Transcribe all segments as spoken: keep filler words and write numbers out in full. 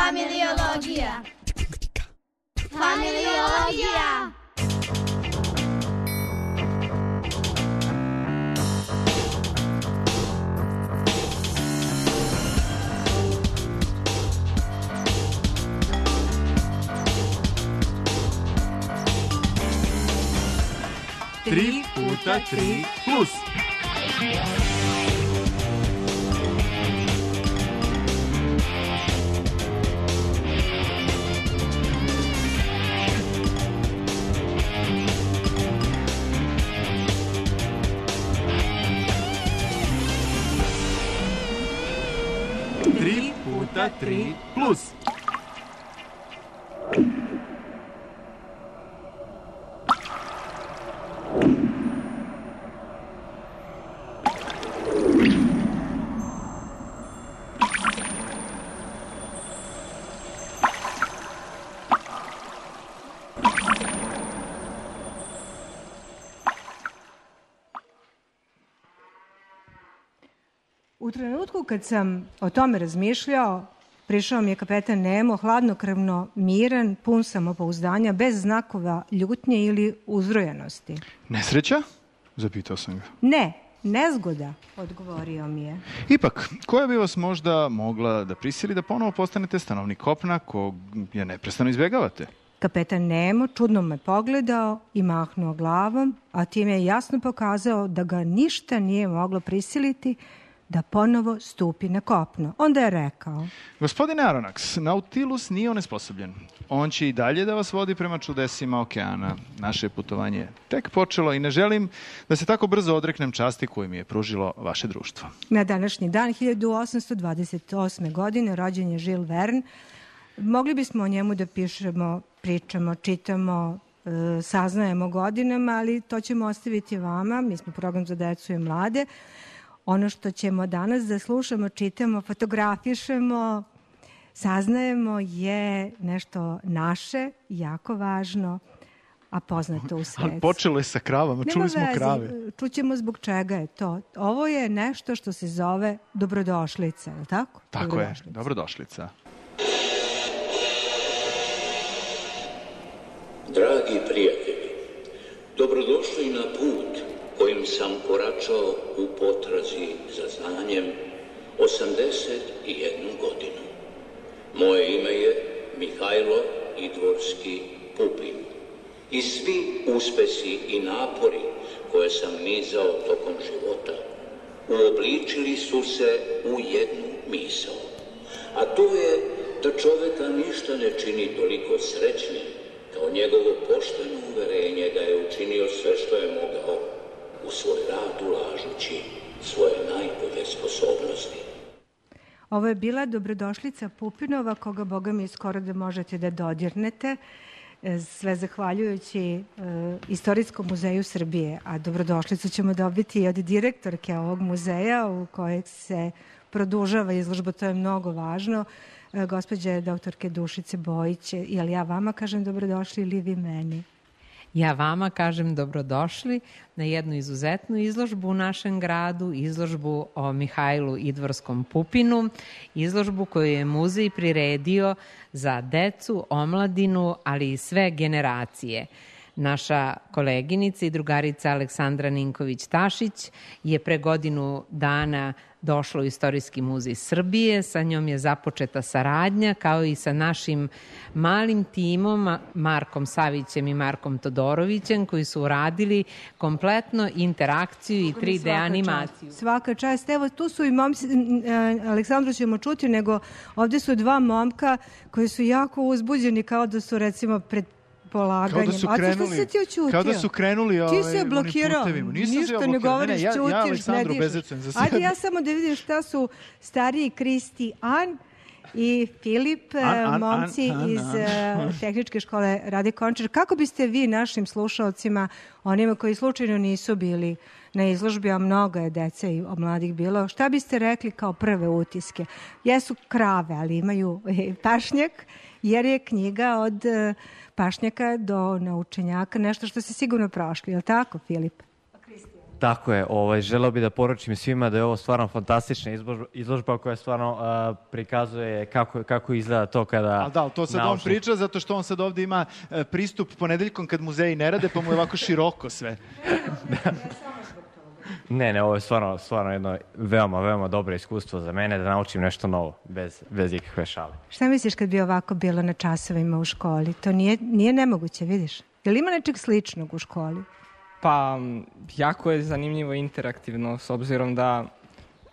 Familiologija. Familiologija. Tri puta tri plus. Tri puta tri plus. U trenutku kad sam o tome razmišljao, prišao mi je kapetan Nemo, hladnokrvno, miran, pun samopouzdanja, bez znakova ljutnje ili uzrujenosti. Nesreća? Zapitao sam ga. Ne, nezgoda, odgovorio mi je. Ipak, koja bi vas možda mogla da prisili da ponovo postanete stanovnik kopna kog je neprestano izbjegavate? Kapetan Nemo čudno me pogledao i mahnuo glavom, a time je jasno pokazao da ga ništa nije moglo prisiliti da ponovo stupi na kopno. Onda je rekao: Gospodine Aronnax, Nautilus nije onesposobljen. On će i dalje da vas vodi prema čudesima okeana. Naše putovanje je tek počelo i ne želim da se tako brzo odreknem časti koju mi je pružilo vaše društvo. Na današnji dan hiljadu osamsto dvadeset osme. godine rođen je Jules Verne. Mogli bismo o njemu da pišemo, pričamo, čitamo, e, saznajemo godinama, ali to ćemo ostaviti vama. Mi smo program za decu i mlade. Ono što ćemo danas da slušamo, čitamo, fotografišemo, saznajemo je nešto naše, jako važno, a poznato u svetu. Ali počelo je sa kravama, čuli smo krave. Čućemo zbog čega je to. Ovo je nešto što se zove dobrodošlica, je li tako? Tako dobrodošlica. je, dobrodošlica. Dragi prijatelji, dobrodošli na put kojim sam koračao u potrazi za znanjem osamdeset jednu godinu. Moje ime je Mihajlo Idvorski Pupin i svi uspesi i napori koje sam nizao tokom života uobličili su se u jednu misao, a to je da čoveka ništa ne čini toliko srećnim kao njegovo pošteno uverenje da je učinio sve što je mogao u svoj rad ulažući svoje najbolje sposobnosti. Ovo je bila dobrodošlica Pupinova, koga, Boga mi, skoro da možete da dodirnete, sve zahvaljujući e, Istorijskom muzeju Srbije. A dobrodošlicu ćemo dobiti i od direktorke ovog muzeja u kojeg se produžava izložba, to je mnogo važno, e, gospođe doktorke Dušice Bojić. Jel ja vama kažem dobrodošli ili vi meni? Ja vama kažem dobrodošli na jednu izuzetnu izložbu u našem gradu, izložbu o Mihajlu Idvorskom Pupinu, izložbu koju je muzej priredio za decu, omladinu, ali i sve generacije. Naša koleginica i drugarica Aleksandra Ninković-Tašić je pre godinu dana došla u Istorijski muzej Srbije. Sa njom je započeta saradnja, kao i sa našim malim timom, Markom Savićem i Markom Todorovićem, koji su uradili kompletno interakciju i tri D animaciju. Svaka čast. Evo, tu su i momci, Aleksandru ćemo čuti, nego ovde su dva momka koji su jako uzbuđeni, kao da su, recimo, pred polaganjem. Kao da su krenuli, kao da su krenuli ovaj, ti se blokirao, ništa ne govoriš, ne, ja, čutiš, ja Aleksandru ne bezecujem za sebe. Ajde ja samo da vidim šta su stariji Kristijan i Filip, an, an, momci an, an, iz an. Tehničke škole Rade Končar. Kako biste vi našim slušalcima, onima koji slučajno nisu bili na izložbi, a mnogo je dece i mladih bilo, šta biste rekli kao prve utiske? Jesu krave, ali imaju pašnjak, jer je knjiga od pašnjaka do naučenjaka, nešto što se sigurno prošli, je li tako, Filip? Tako je, ovaj, želeo bih da poručim svima da je ovo stvarno fantastična izložba, izložba koja stvarno uh, prikazuje kako, kako izgleda to kada... Ali da, to sad naučni... on priča zato što on sad ovde ima uh, pristup ponedeljkom kad muzeji ne rade, pa mu je ovako široko sve. Da. Ne, ne, ovo je stvarno, stvarno jedno veoma, veoma dobro iskustvo za mene da naučim nešto novo, bez, bez ikakve šale. Šta misliš kad bi ovako bilo na časovima u školi? To nije, nije nemoguće, vidiš? Je li ima nečeg sličnog u školi? Pa, jako je zanimljivo i interaktivno, s obzirom da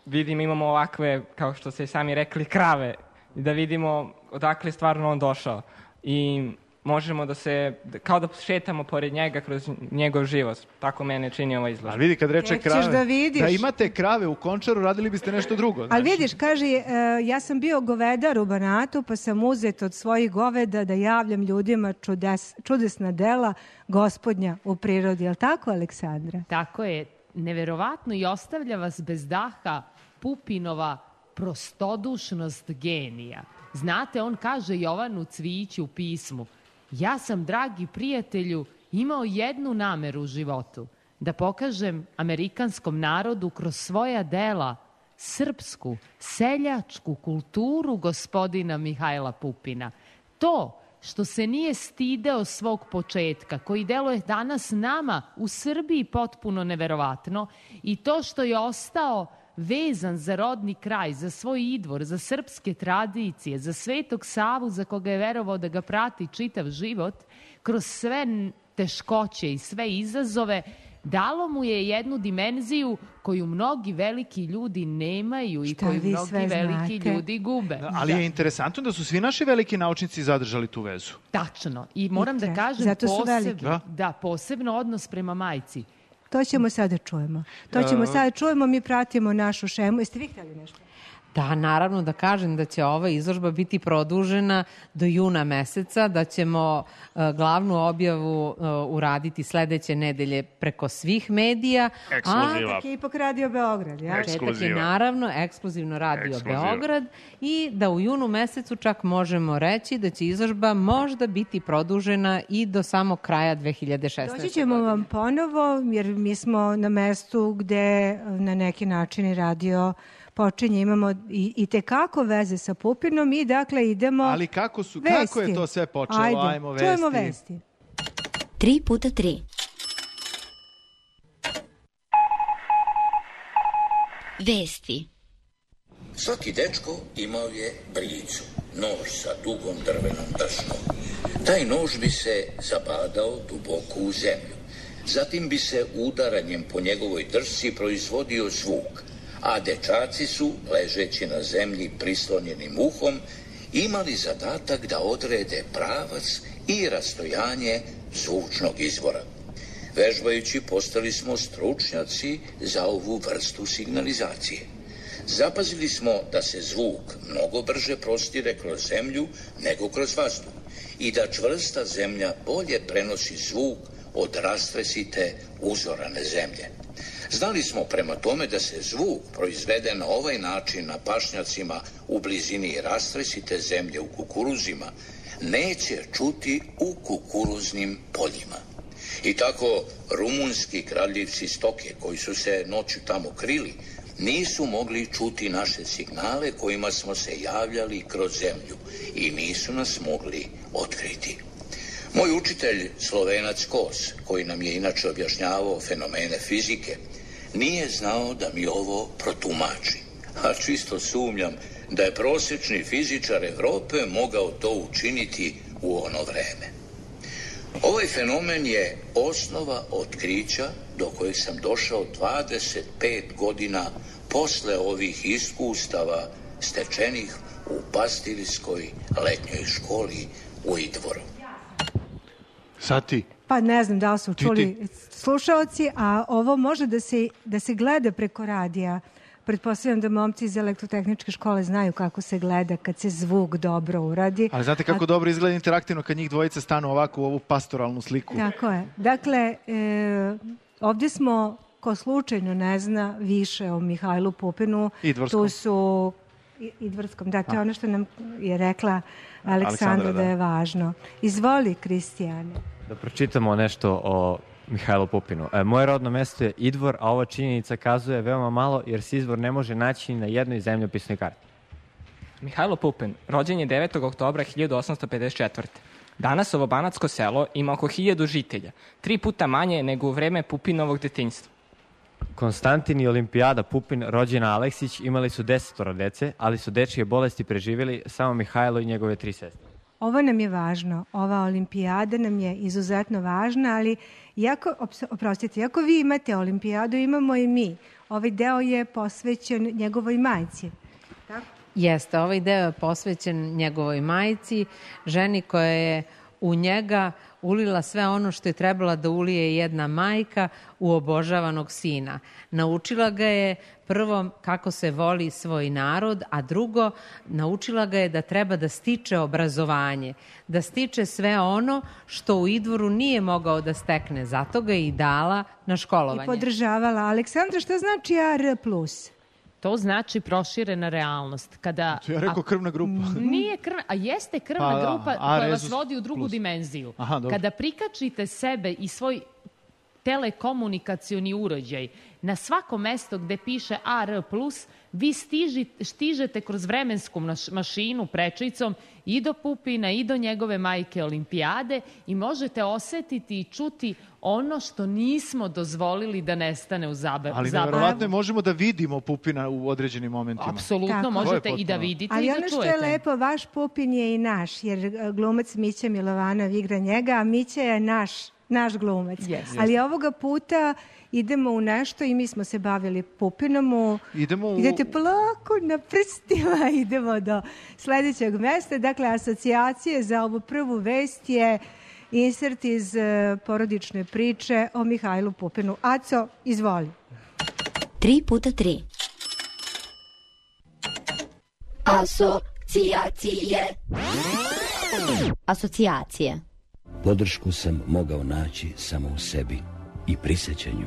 vidim, imamo ovakve, kao što ste sami rekli, krave, i da vidimo odakle je stvarno on došao. I možemo da se, kao da šetamo pored njega kroz njegov život. Tako mene čini ova izložba. Ali vidi, kad reče Tek krave, da, vidiš. da imate krave u Končaru, radili biste nešto drugo. Ali vidiš, kaže, uh, ja sam bio govedar u Banatu, pa sam uzet od svojih goveda da javljam ljudima čudes, čudesna dela Gospodnja u prirodi. Je li tako, Aleksandra? Tako je. Neverovatno i ostavlja vas bez daha Pupinova prostodušnost genija. Znate, on kaže Jovanu Cvijiću u pismu: ja sam, dragi prijatelju, imao jednu nameru u životu, da pokažem amerikanskom narodu kroz svoja dela srpsku, seljačku kulturu gospodina Mihajla Pupina. To što se nije stideo svog početka, koji deluje danas nama u Srbiji potpuno neverovatno, i to što je ostao vezan za rodni kraj, za svoj idvor, za srpske tradicije, za Svetog Savu za koga je verovao da ga prati čitav život, kroz sve teškoće i sve izazove, dalo mu je jednu dimenziju koju mnogi veliki ljudi nemaju i koju mnogi veliki ljudi gube. Da, ali da. Je interesantno da su svi naši veliki naučnici zadržali tu vezu. Tačno. I moram I da kažem Zato posebno, da. da, posebno odnos prema majci. To ćemo sada čujemo. To ćemo sada čujemo, mi pratimo našu šemu. Jeste vi htjeli nešto? Da, naravno da kažem da će ova izložba biti produžena do juna meseca, da ćemo uh, glavnu objavu uh, uraditi sledeće nedelje preko svih medija. Ekskluziva. A, tako je ipak Radio Beograd, ja? Četak je naravno ekskluzivno Radio Ekskluziva. Beograd i da u junu mesecu čak možemo reći da će izložba možda biti produžena i do samog kraja dve hiljade šesnaeste. Doći ćemo vam ponovo, jer mi smo na mestu gde na neki način radio počinje, imamo i, i tekako veze sa Pupinom i dakle idemo Ali kako, su, vesti. kako je to sve počelo? Ajde, Ajmo vesti. čujemo vesti. Tri puta tri. Vesti. Svaki dečko imao je brijicu, nož sa dugom drvenom drsnom. Taj nož bi se zabadao duboko u zemlju. Zatim bi se udaranjem po njegovoj drsci proizvodio zvuk, a dečaci su, ležeći na zemlji prislonjenim uhom, imali zadatak da odrede pravac i rastojanje zvučnog izvora. Vežbajući postali smo stručnjaci za ovu vrstu signalizacije. Zapazili smo da se zvuk mnogo brže prostire kroz zemlju nego kroz vazduh i da čvrsta zemlja bolje prenosi zvuk od rastresite uzorane zemlje. Znali smo prema tome da se zvuk proizvede na ovaj način na pašnjacima u blizini rastresite zemlje u kukuruzima neće čuti u kukuruznim poljima. I tako rumunski kradljivci stoke koji su se noću tamo krili nisu mogli čuti naše signale kojima smo se javljali kroz zemlju i nisu nas mogli otkriti. Moj učitelj, Slovenac Kos, koji nam je inače objašnjavao fenomene fizike, nije znao da mi ovo protumači. A čisto sumnjam da je prosječni fizičar Evrope mogao to učiniti u ono vreme. Ovaj fenomen je osnova otkrića do kojeg sam došao dvadeset pet godina posle ovih iskustava stečenih u pastirskoj letnjoj školi u Idvoru. Sad ti. Pa ne znam da li su čuli ti, ti. slušaoci, a ovo može da se, da se gleda preko radija. Pretpostavljam da momci iz elektrotehničke škole znaju kako se gleda kad se zvuk dobro uradi. Ali znate kako a... dobro izgleda interaktivno kad njih dvojice stanu ovako u ovu pastoralnu sliku. Tako je. Dakle, e, ovdje smo, ko slučajno ne zna više o Mihajlu Pupinu, Idvorskom. Tu su Idvorskom, da, to je ono što nam je rekla Aleksandra, Aleksandra da. da je važno. Izvoli, Kristijane. Da pročitamo nešto o Mihajlu Pupinu. E, moje rodno mesto je Idvor, a ova činjenica kazuje veoma malo jer se izvor ne može naći ni na jednoj zemljopisnoj karti. Mihajlo Pupin, rođen je devetog oktobra hiljadu osamsto pedeset četvrte. Danas ovo banatsko selo ima oko hiljadu žitelja, tri puta manje nego u vreme Pupinovog detinjstva. Konstantin i Olimpijada Pupin, rođena Aleksić, imali su desetoro dece, ali su dečije bolesti preživjeli samo Mihajlo i njegove tri sestre. Ovo nam je važno, ova olimpijada nam je izuzetno važna, ali jako, oprostite, ako vi imate olimpijadu, imamo i mi. Ovaj deo je posvećen njegovoj majci. Tako? Jeste, ovaj deo je posvećen njegovoj majci, ženi koja je u njega ulila sve ono što je trebala da ulije jedna majka u obožavanog sina. Naučila ga je prvo kako se voli svoj narod, a drugo naučila ga je da treba da stiče obrazovanje, da stiče sve ono što u Idvoru nije mogao da stekne, zato ga je i dala na školovanje. I podržavala. Aleksandra, šta znači A R plus? To znači proširena realnost. Kada, ja rekao krvna grupa. Nije krvna, a jeste krvna pa, grupa a, koja rezus vas vodi u drugu plus. dimenziju. Aha, kada prikačite sebe i svoj telekomunikacioni uređaj na svako mesto gde piše A R plus, vi stiži, stižete kroz vremensku mašinu prečicom i do Pupina i do njegove majke Olimpijade i možete osetiti i čuti ono što nismo dozvolili da nestane u zabavu. Ali nevjerovatno je, možemo da vidimo Pupina u određenim momentima. Apsolutno, Tako. možete i da vidite ali i da ono čujete. što je lepo, vaš Pupin je i naš, jer glumac Mića Milovanov igra njega, a Mića je naš, naš glumac. Yes. Ali ovoga puta idemo u nešto i mi smo se bavili Pupinom. U... Idemo u... Idete polako na prstima, idemo do sledećeg mesta. Dakle, asocijacije za ovu prvu vest je insert iz uh, porodične priče o Mihajlu Pupinu. Aco, izvoli. Tri puta tri. Asocijacije. Asocijacije. Podršku sam mogao naći samo u sebi i prisjećanju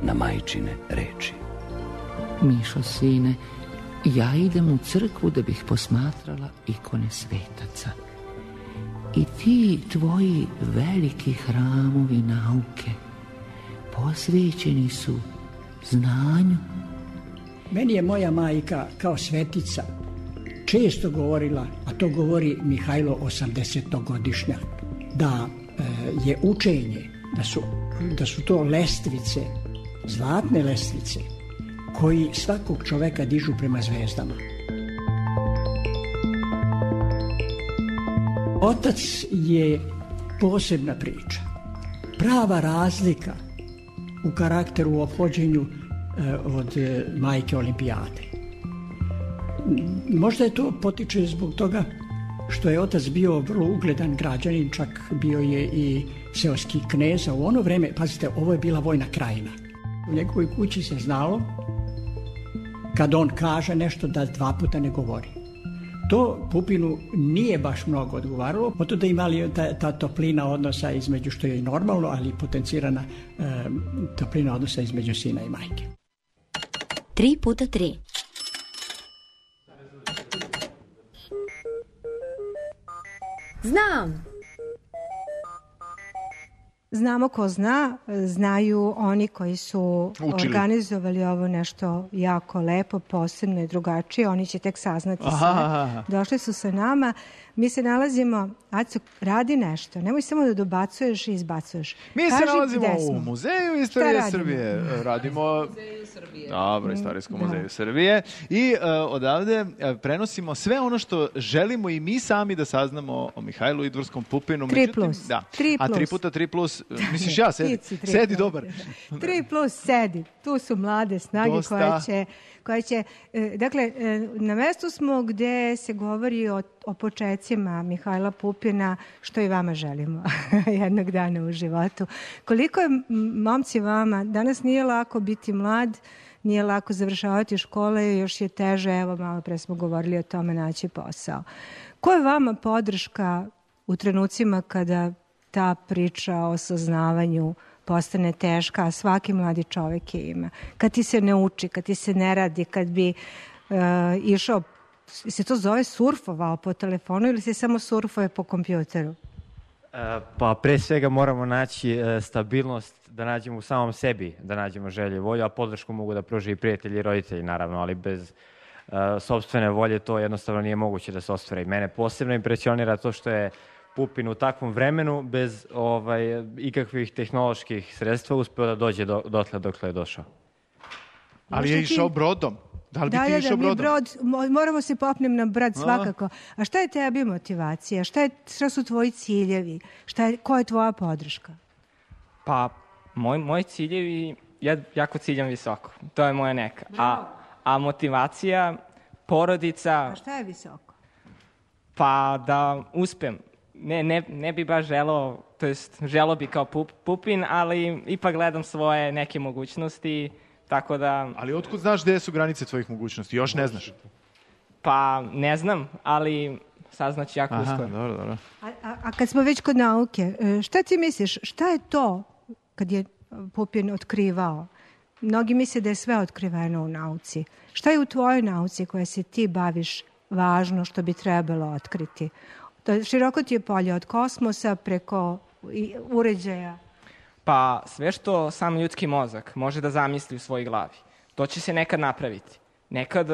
na majčine reči. Mišo, sine, ja idem u crkvu da bih posmatrala ikone svetaca. I ti tvoji veliki hramovi nauke posvećeni su znanju. Meni je moja majka kao svetica često govorila, a to govori Mihajlo osamdesetogodišnjak, da e, je učenje, da su, da su to lestvice, zlatne lestvice, koji svakog čoveka dižu prema zvezdama. Otac je posebna priča. Prava razlika u karakteru, u ophođenju e, od e, majke Olimpijade. Možda je to potiče zbog toga što je otac bio vrlo ugledan građanin, čak bio je i seoski knez, a u ono vreme, pazite, ovo je bila vojna krajina. U njegovoj kući se znalo, kad on kaže nešto, da dva puta ne govori. To Pupinu nije baš mnogo odgovaralo, zato da imali ta, ta toplina odnosa između, što je i normalno, ali i potencirana e, toplina odnosa između sina i majke. Tri puta tri. Znam. Znamo ko zna, znaju oni koji su Učili. organizovali ovo nešto jako lepo, posebno i drugačije. Oni će tek saznati aha, sve. aha. Došli su sa nama. Mi se nalazimo, Aco, radi nešto. Nemoj samo da dobacuješ i izbacuješ. Mi Kaži se nalazimo gde smo. u Muzeju istorije radimo? Srbije. Radimo... Muzeju Srbije. Dobro, Istorijskom Da. muzeju Srbije. I uh, odavde uh, prenosimo sve ono što želimo i mi sami da saznamo o Mihajlu Idvorskom Pupinu. Tri Međutim, plus. Da. Tri A tri plus. puta tri plus, misliš ja, sedi. Ti si tri Sedi, plus. dobar. Tri plus sedi. Tu su mlade snage Dosta. koje će... Koje će e, dakle, e, na mestu smo gde se govori o, o počecima Mihajla Pupina, što i vama želimo jednog dana u životu. Koliko je, m, momci, vama, danas nije lako biti mlad, nije lako završavati škole, još je teže, evo malo pre smo govorili o tome, naći posao. Ko je vama podrška u trenucima kada ta priča o saznavanju postane teška, a svaki mladi čovek je ima? Kad ti se ne uči, kad ti se ne radi, kad bi uh, išao, se to zove surfovao po telefonu ili se samo surfuje po kompjuteru? Pa pre svega moramo naći stabilnost, da nađemo u samom sebi, da nađemo želje i volju, a podršku mogu da pruže i prijatelji i roditelji, naravno, ali bez uh, sopstvene volje to jednostavno nije moguće da se ostvare. I mene posebno impresionira to što je Pupin u takvom vremenu, bez ovaj, ikakvih tehnoloških sredstva, uspeo da dođe do, dotle dokle je došao. Ali je išao brodom. Da li bi da, ti da, išao da, brodom? Brod, moramo se popnem na brod svakako. A šta je tebi motivacija? Šta, je, šta su tvoji ciljevi? Šta je, koja je tvoja podrška? Pa, moj, moji ciljevi, ja jako ciljam visoko. To je moja neka. A, a motivacija, porodica... A šta je visoko? Pa da uspem. Ne, ne, ne bi baš želeo, to jest želeo bi kao pup, Pupin, ali ipak gledam svoje neke mogućnosti, tako da... Ali otkud znaš gde su granice tvojih mogućnosti? Još ne znaš? Pa ne znam, ali saznaći jako uskoro. Aha, dobro, dobro. A, a, a kad smo već kod nauke, šta ti misliš, šta je to kad je Pupin otkrivao? Mnogi misle da je sve otkriveno u nauci. Šta je u tvojoj nauci koja se ti baviš važno što bi trebalo otkriti? Široko ti je polje od kosmosa preko uređaja. Pa sve što sam ljudski mozak može da zamisli u svojoj glavi, to će se nekad napraviti. Nekad,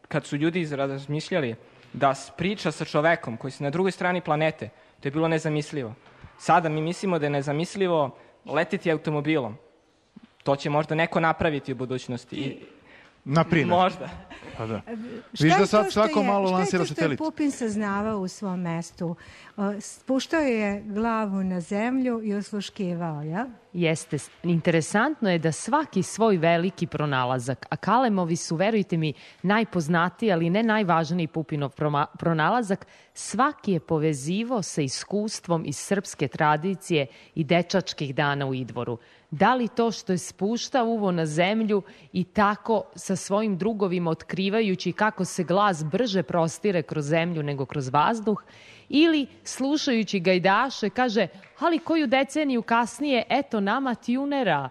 kad su ljudi razmišljali da priča sa čovekom koji se na drugoj strani planete, to je bilo nezamislivo. Sada mi mislimo da je nezamislivo letiti automobilom. To će možda neko napraviti u budućnosti. I... Na primjer. Možda. Pa da. Viš da sad svako je, malo lansira satelit. Šta je to što je Pupin saznavao u svom mestu? Spuštao je glavu na zemlju i osluškivao, ja? Jeste. Interesantno je da svaki svoj veliki pronalazak, a Kalemovi su, verujte mi, najpoznatiji, ali ne najvažniji Pupinov pronalazak, svaki je povezivo sa iskustvom iz srpske tradicije i dečačkih dana u Idvoru. Da li to što je spuštao uvo na zemlju i tako sa svojim drugovima otkrivajući kako se glas brže prostire kroz zemlju nego kroz vazduh, ili slušajući gajdaše kaže, ali koju deceniju kasnije, eto nama tjunera.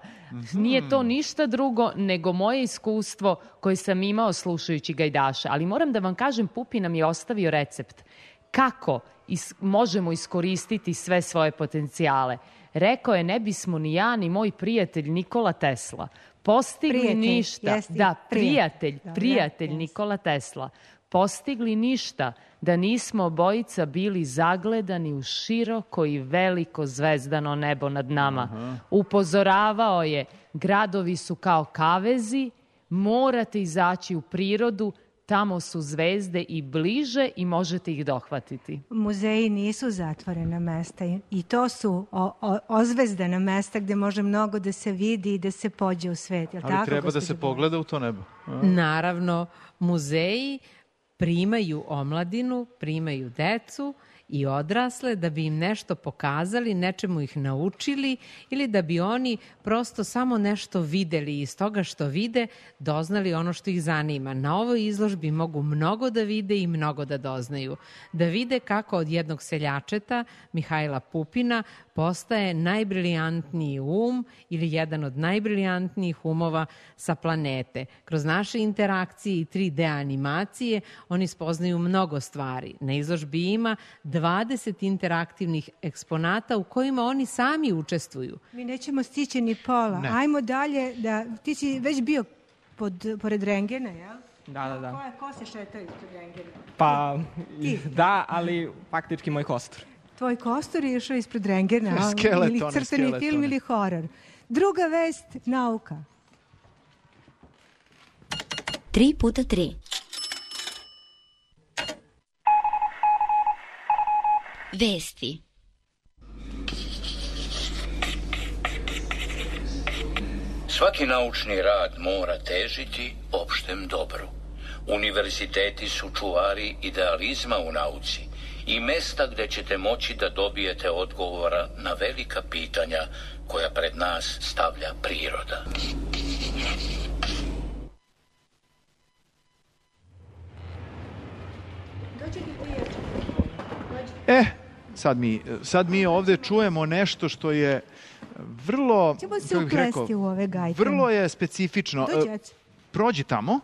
Nije to ništa drugo nego moje iskustvo koje sam imao slušajući gajdaše. Ali moram da vam kažem, Pupin nam je ostavio recept kako is- možemo iskoristiti sve svoje potencijale. Rekao je, ne bismo ni ja ni moj prijatelj Nikola Tesla postigli prijatelj, ništa. jesti, da, prijatelj, da, prijatelj da, Nikola Tesla. Postigli ništa da nismo obojica bili zagledani u široko i veliko zvezdano nebo nad nama. Aha. Upozoravao je, gradovi su kao kavezi, morate izaći u prirodu, tamo su zvezde i bliže i možete ih dohvatiti. Muzeji nisu zatvorena mesta i to su o, o, ozvezdana mesta gde može mnogo da se vidi i da se pođe u svet. Jel ali tako, treba da se pogleda u to nebo. A? Naravno, muzeji primaju omladinu, primaju decu i odrasle da bi im nešto pokazali, nečemu ih naučili ili da bi oni prosto samo nešto videli i iz toga što vide doznali ono što ih zanima. Na ovoj izložbi mogu mnogo da vide i mnogo da doznaju. Da vide kako od jednog seljačeta, Mihajla Pupina, postaje najbrilijantniji um ili jedan od najbrilijantnijih umova sa planete. Kroz naše interakcije i tri D animacije oni spoznaju mnogo stvari. Na izložbi ima dvadeset interaktivnih eksponata u kojima oni sami učestvuju. Mi nećemo stići ni pola. Ne. Ajmo dalje. Da, ti si već bio pod, pored rengena, jel? Da, da, da. Ko, je, ko se šeta ispod rengena? Pa, da, ali faktički moj kostur. Tvoj kostur je išao ispred rengena, skeletone, ili crtani skeletone. film ili horor. Druga vest, nauka. Tri puta tri. Vesti. Svaki naučni rad mora težiti opštem dobru. Univerziteti su čuvari idealizma u nauci i mesta gde ćete moći da dobijete odgovora na velika pitanja koja pred nas stavlja priroda. E, sad mi, sad mi ovde čujemo nešto što je vrlo... Ćemo se uplesti u ove gajke. Vrlo je specifično. Dođe. Prođi tamo.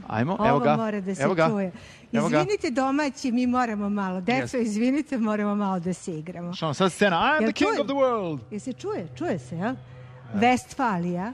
Ajmo, Ovo evo ga. mora da se Evo ga. čuje. Evo ga. Izvinite domaći, mi moramo malo. Deco, izvinite, moramo malo da se igramo. Što sad scena, I'm Jel the king čuje? of the world. Jel se čuje? Čuje se, jel? Westfalia,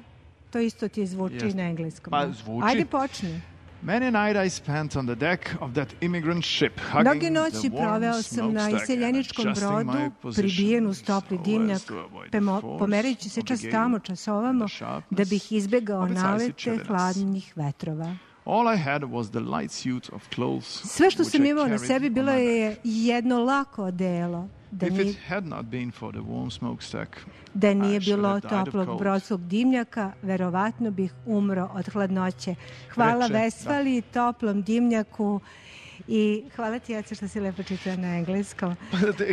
to isto ti zvuči Jeste. na engleskom. Pa jel? zvuči. Ajde počni. Many a night I spent on the deck of that immigrant ship, Mnoge hugging noći the warm proveo sam na smokestack iseljeničkom and adjusting brodu, my position pribijen uz topli so dimnjak, as to avoid pemo- the force pomerajući se of the čas gale tamo, čas ovamo, and the sharpness da bih izbegao of its icy nalete chilliness. hladnih vetrova. All I had was the light suit of clothes Sve što which sam I imao na carried sebi on bilo my je jedno lako odelo. Da If nije, it had not been for the warm smokestack, da nije I should bilo have died of toplog cold. brodskog dimnjaka, verovatno bih umro od hladnoće. Hvala Reče, Vesfali, toplom dimnjaku i hvala ti, Jace, što si lepo čitao na engleskom.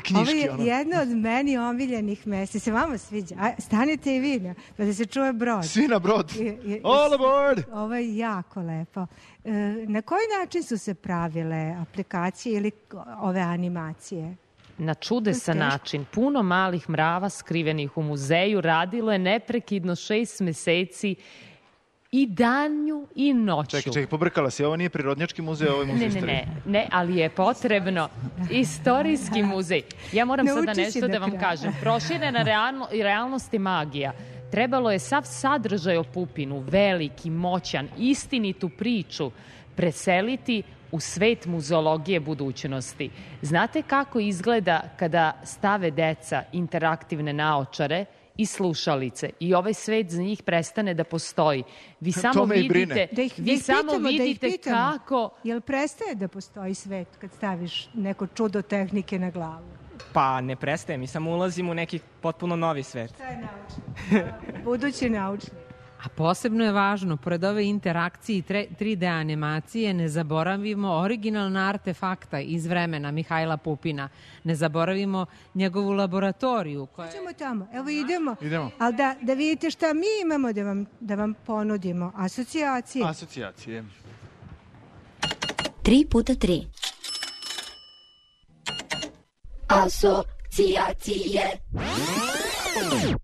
knjiški, Ovo je ono. jedno od meni omiljenih mesta. Se vama sviđa? A, stanite i vi, ne? Pa da se čuje brod. Svi na brod. Je- je- All aboard! Ovo je jako lepo. E, na koji način su se pravile aplikacije ili ove animacije? Na čudesan Teško. način. Puno malih mrava skrivenih u muzeju radilo je neprekidno šest meseci i danju i noću. Čekaj, čekaj, pobrkala si. Ovo nije prirodnjački muzej, ovo je muzej Ne, ne, istorije. ne, ne, ali je potrebno istorijski muzej. Ja moram sada Nauči si nešto do da vam kraja. kažem. Proširena realno, realnost je magija. Trebalo je sav sadržaj o Pupinu, veliki, moćan, istinitu priču, preseliti u svet muzeologije budućnosti. Znate kako izgleda kada stave deca interaktivne naočare i slušalice i ovaj svet za njih prestane da postoji? Vi To samo me i brine. vidite, Da ih, da vi ih samo pitamo, da ih vidite pitamo. kako... Jel prestaje da postoji svet kad staviš neko čudo tehnike na glavu? Pa ne prestaje, mi samo ulazimo u neki potpuno novi svet. To je naučno. Budući naučni. A posebno je važno, pored ove interakcije i tre- tri D animacije, ne zaboravimo originalna artefakta iz vremena Mihajla Pupina. Ne zaboravimo njegovu laboratoriju. Koja... Idemo tamo, evo idemo. Idemo. Ali da, da vidite šta mi imamo da vam, da vam ponudimo. Asocijacije. Asocijacije. Tri puta tri. Asocijacije.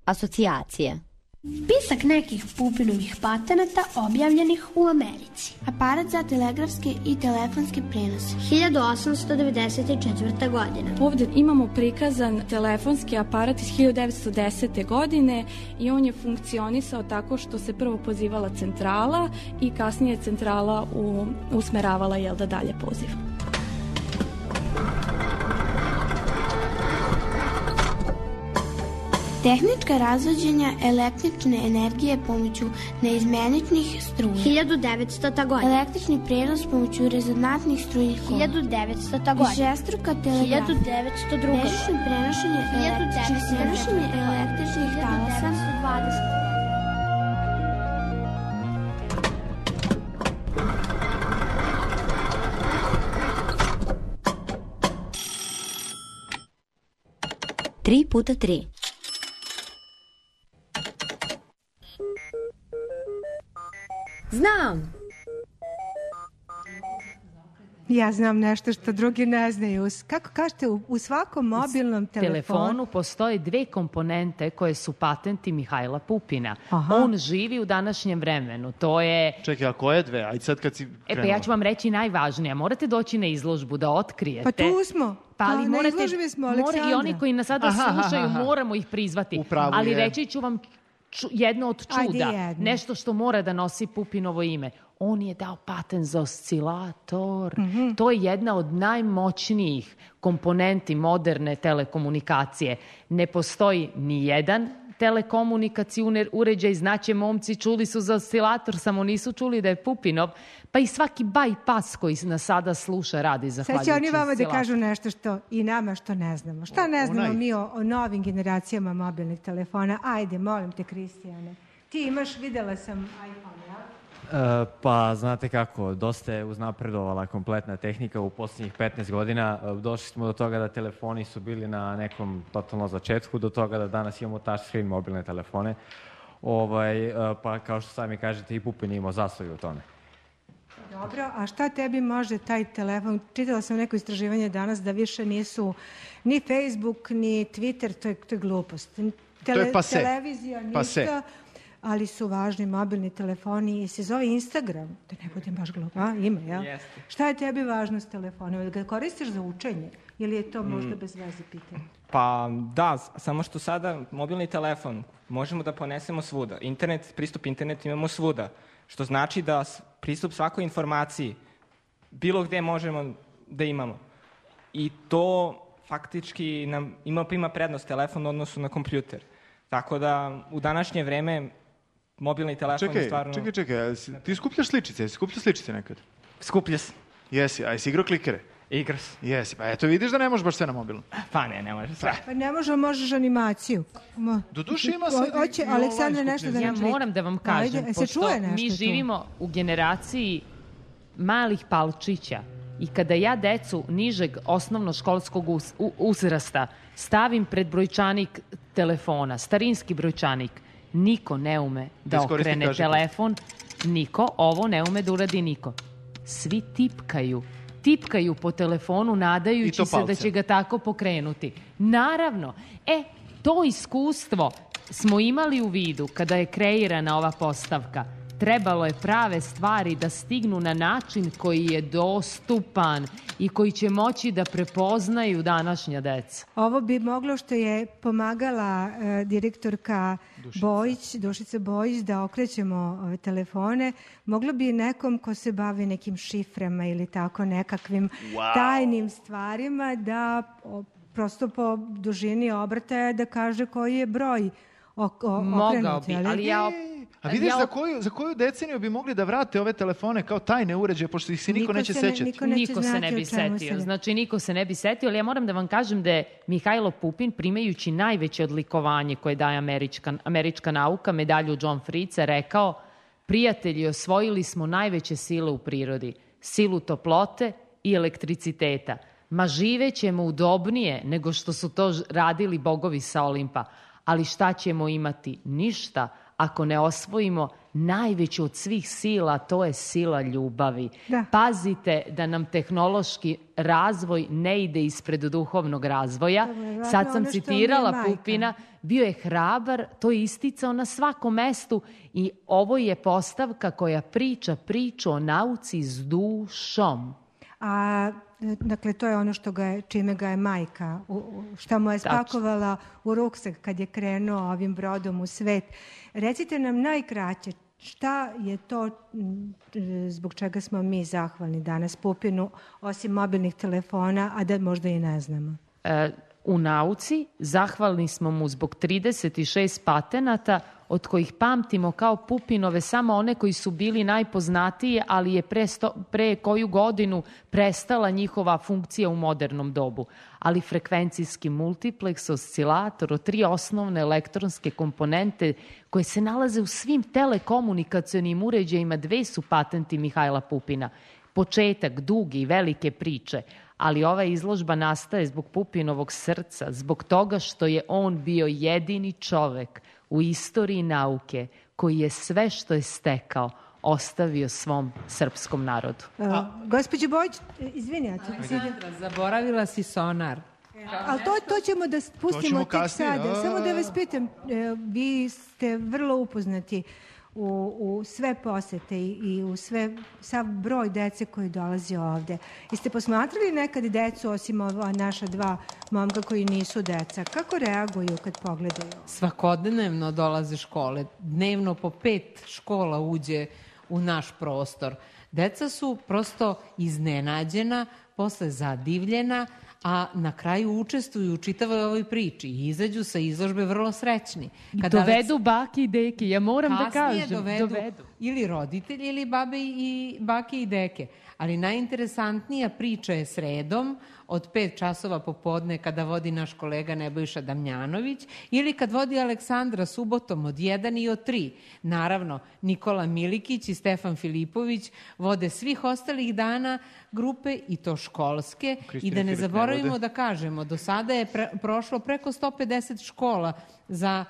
Asocijacije. Spisak nekih Pupinovih patenata objavljenih u Americi. Aparat za telegrafski i telefonski prenos. hiljadu osamsto devedeset četvrte. godine. Ovdje imamo prikazan telefonski aparat iz hiljadu devetsto desete. godine i on je funkcionisao tako što se prvo pozivala centrala i kasnije centrala u, usmeravala jel da dalje poziv. Tehnička razvođenja električne energije pomoću neizmeničnih struja. hiljadu devetstota. godina. Električni prenos pomoću rezonantnih strujnih kola. hiljadu devetstota. godina. Višestruka telegrafija. hiljadu devetsto druga. Bežično prenošenje električnih prenošenje električnih talasa. hiljadu devetsto dvadesete. Tri puta tri. Znam. Ja znam nešto što drugi ne znaju. Kako kažete, u, u svakom mobilnom U telefonu... telefonu postoje dve komponente koje su patenti Mihajla Pupina. Aha. On živi u današnjem vremenu. To je... Čekaj, a koje dve? Ajde sad kad si E krenula. pa ja ću vam reći najvažnije. Morate doći na izložbu da otkrijete. Pa tu smo. Pa ali A, na morate, izložbi smo, mora i Aleksandra. oni koji nas sada Aha, aha, slušaju, aha. moramo ih prizvati. U pravu Ali je. reći ću vam ču- jedno od Ajde, čuda. jedno. Nešto što mora da nosi Pupinovo ime. On je dao patent za oscilator. Mhm. To je jedna od najmoćnijih komponenti moderne telekomunikacije. Ne postoji ni jedan telekomunikacijni uređaj, znaće momci, čuli su za oscilator, samo nisu čuli da je Pupinov, pa i svaki bypass koji nas sada sluša radi Sad zahvaljujući će oni vama da oscilatoru. kažu nešto što i nama što ne znamo. Šta ne znamo onaj. mi o, o novim generacijama mobilnih telefona? Ajde, molim te, Kristijane. Ti imaš, videla sam iPhone, ja? E, pa, znate kako, dosta je uznapredovala kompletna tehnika u posljednjih petnaest godina. E, Došli smo do toga da telefoni su bili na nekom totalno začetku, do toga da danas imamo touchscreen mobilne telefone. Ovaj, e, pa, kao što sami kažete, i Pupin je imao zaslugu u tome. Dobro, a šta tebi može taj telefon? Čitala sam neko istraživanje danas da više nisu ni Facebook, ni Twitter, to je, to je glupost. Tele, je pase. Televizija, ništa. Pase. ali su važni mobilni telefoni i se zove Instagram, da ne budem baš glupa. A, ima, jel? Jeste. Šta je tebi važno s telefonom? Ga koristiš za učenje ili je to možda bez veze pitanje? Pa da, samo što sada mobilni telefon možemo da ponesemo svuda. Internet, pristup internetu imamo svuda, što znači da pristup svakoj informaciji bilo gde možemo da imamo. I to faktički nam ima, ima prednost telefon u odnosu na kompjuter. Tako da u današnje vreme mobilni telefon čekaj, je stvarno... Čekaj, čekaj, ti skupljaš sličice, jesi skupljao sličice nekad? Skuplja se. Jesi, a jesi igrao klikere? Igra se. Jesi, pa eto vidiš da ne možeš baš sve na mobilno. Pa ne, ne može sve. Pa ne može, možeš animaciju. Mo... Doduše ima sad i, Oće, i Aleksandra nešto da Ja nam čita. moram da vam kažem, Ajde, se pošto čuje nešto mi tu? živimo u generaciji malih palčića i kada ja decu nižeg osnovnoškolskog uz, u, uzrasta stavim pred brojčanik telefona, starinski brojčanik, niko ne ume da iskoristi okrene kažiku. telefon, niko, ovo ne ume da uradi niko. Svi tipkaju. Tipkaju po telefonu nadajući se da će ga tako pokrenuti. Naravno. E, to iskustvo smo imali u vidu kada je kreirana ova postavka. Trebalo je prave stvari da stignu na način koji je dostupan i koji će moći da prepoznaju današnja deca. Ovo bi moglo, što je pomagala e, direktorka Dušica. Bojić, Dušica Bojić, da okrećemo ove telefone, moglo bi nekom ko se bavi nekim šiframa ili tako nekakvim wow. tajnim stvarima da o, prosto po dužini obrtaja da kaže koji je broj o, o, Mogao okrenut. bi, ali, ali ja... A vidiš ja... za, koju, za koju deceniju bi mogli da vrate ove telefone kao tajne uređaje, pošto ih se niko, Niko neće se ne- sećati? niko neće Niko se znati ne bi o čemu se setio. ne- Znači, niko se ne bi setio, ali ja moram da vam kažem da je Mihajlo Pupin, primajući najveće odlikovanje koje daje američka, američka nauka, medalju John Fritze, rekao: prijatelji, osvojili smo najveće sile u prirodi, silu toplote i elektriciteta. Ma živećemo udobnije nego što su to ž- radili bogovi sa Olimpa. Ali šta ćemo imati? Ništa ako ne osvojimo najveću od svih sila, to je sila ljubavi. Da. Pazite da nam tehnološki razvoj ne ide ispred duhovnog razvoja. verovatno Sad sam ono što mi je citirala majka. Pupina, bio je hrabar, to je isticao na svakom mestu i ovo je postavka koja priča priču o nauci s dušom. A, dakle, to je ono što ga je, čime ga je majka, u, u- šta mu je spakovala u ruksak kad je krenuo ovim brodom u svet. Recite nam najkraće, šta je to m, zbog čega smo mi zahvalni danas Pupinu, osim mobilnih telefona, a da možda i ne znamo? E, u nauci zahvalni smo mu zbog trideset šest patenata, od kojih pamtimo kao Pupinove samo one koji su bili najpoznatiji, ali je pre, sto, pre koju godinu prestala njihova funkcija u modernom dobu. Ali frekvencijski multipleks, oscilator, tri osnovne elektronske komponente koje se nalaze u svim telekomunikacionim uređajima, dve su patenti Mihajla Pupina. Početak duge i velike priče, ali ova izložba nastaje zbog Pupinovog srca, zbog toga što je on bio jedini čovek u istoriji nauke koji je sve što je stekao ostavio svom srpskom narodu. A, gospođo Bojić, izvini, ja ću... Aleksandra, zaboravila si sonar. Ali to, to ćemo da pustimo ćemo tek kasnije, sada. a. Samo da vas pitam, e, vi ste vrlo upoznati u, u sve posete i, i u sve, sav broj dece koji dolazi ovde. Jeste posmatrali nekad decu, osim ova naša dva momka koji nisu deca? Kako reaguju kad pogledaju? Svakodnevno dolaze škole. Dnevno po pet škola uđe u naš prostor. Deca su prosto iznenađena, posle zadivljena, a na kraju učestvuju u čitavoj ovoj priči i izađu sa izložbe vrlo srećni. Kada dovedu baki i deke, ja moram da Kasnije kažem. dovedu, dovedu. ili roditelji ili babe i bake i deke. Ali najinteresantnija priča je sredom od pet časova popodne kada vodi naš kolega Nebojša Damjanović ili kad vodi Aleksandra subotom od jedan i od tri. Naravno, Nikola Milikić i Stefan Filipović vode svih ostalih dana grupe i to školske. Kristina I da ne Filip ne zaboravimo vode. da kažemo, do sada je pre, prošlo preko sto pedeset škola za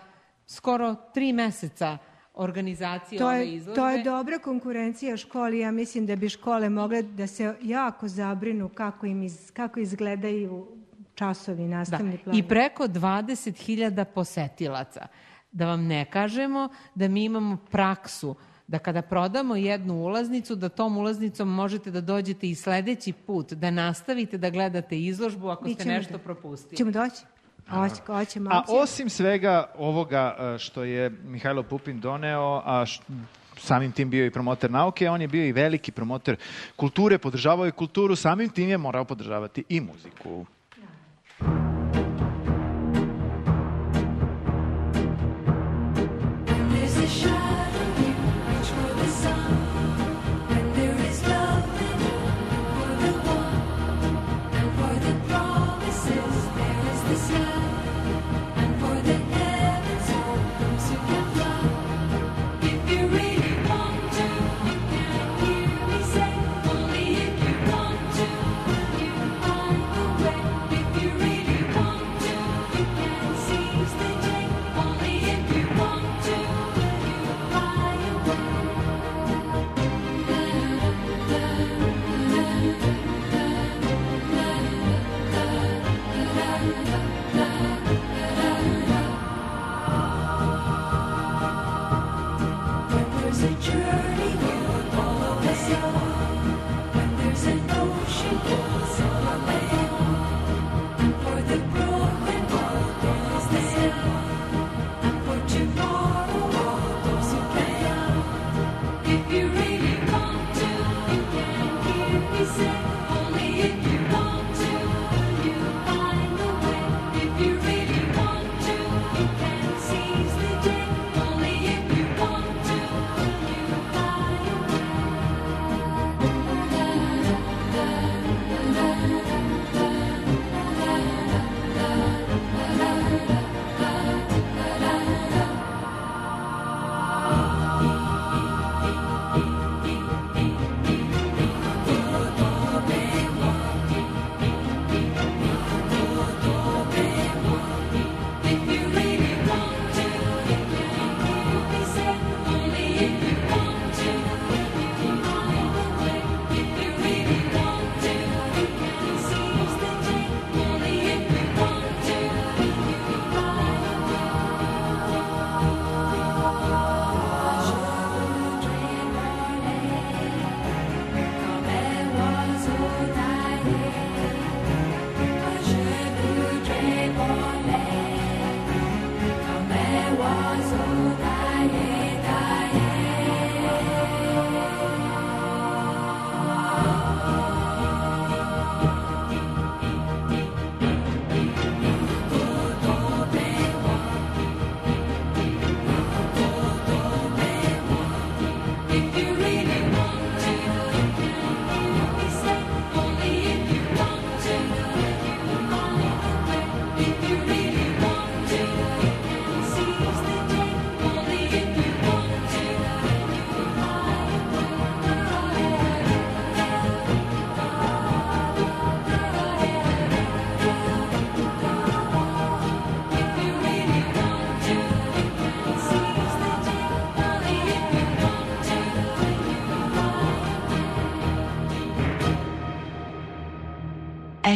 skoro tri meseca organizacije To ove je, izložbe. to je dobra konkurencija školi. Ja mislim da bi škole mogle da se jako zabrinu kako, im iz, kako izgledaju časovi, nastavni plan. I preko dvadeset hiljada posetilaca. Da vam ne kažemo da mi imamo praksu da kada prodamo jednu ulaznicu, da tom ulaznicom možete da dođete i sledeći put, da nastavite da gledate izložbu ako ste nešto propustili. Ćemo doći? Hoćemo. A osim svega ovoga što je Mihajlo Pupin doneo, a samim tim bio i promoter nauke, on je bio i veliki promoter kulture, podržavao je kulturu, samim tim je morao podržavati i muziku.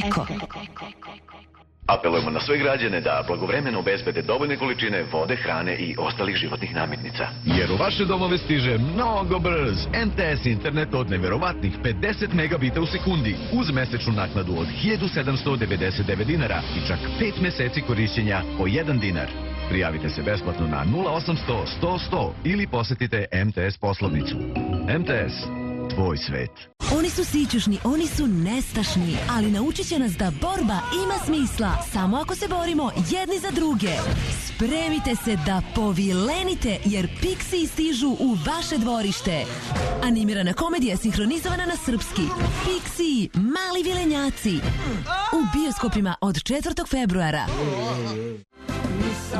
Eko. Apelujemo na sve građane da blagovremeno obezbede dovoljne količine vode, hrane i ostalih životnih namirnica. Jer u vaše domove stiže mnogo brz M T S internet od neverovatnih pedeset megabita u sekundi uz mesečnu naknadu od hiljadu sedamsto devedeset devet dinara i čak pet meseci korišćenja po jedan dinar. Prijavite se besplatno na nula osamsto sto sto ili posetite M T S poslovnicu. M T S. Tvoj svet. Oni su sićušni, oni su nestašni, ali naučit će nas da borba ima smisla samo ako se borimo jedni za druge. Spremite se da povilenite, jer Pixiji stižu u vaše dvorište. Animirana komedija sinhronizovana na srpski. Pixiji, mali vilenjaci. U bioskopima od četvrtog februara.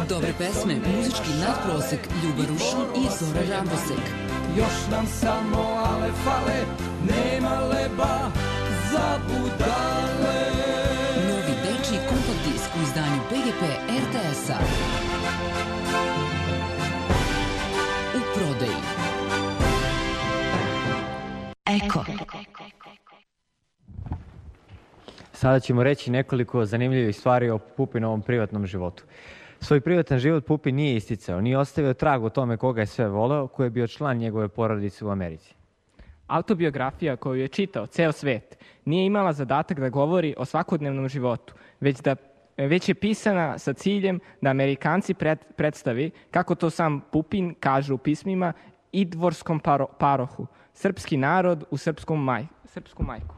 Dobre pesme, muzički nadprosek, Ljuba Rušin i Zora Rambosek. Još nam samo ale fale, nema leba za budale. Novi dečiji kompakt disk u izdanju P G P R T S-a. U prodaji. Eko. Sada ćemo reći nekoliko zanimljivih stvari o Pupinovom privatnom životu. Svoj privatan život Pupin nije isticao, nije ostavio trag o tome koga je sve voleo, ko je bio član njegove porodice u Americi. Autobiografija koju je čitao ceo svet nije imala zadatak da govori o svakodnevnom životu, već, da, već je pisana sa ciljem da Amerikanci pred, predstavi, kako to sam Pupin kaže u pismima, idvorskom paro, parohu, srpski narod u srpskom maj, srpsku majku.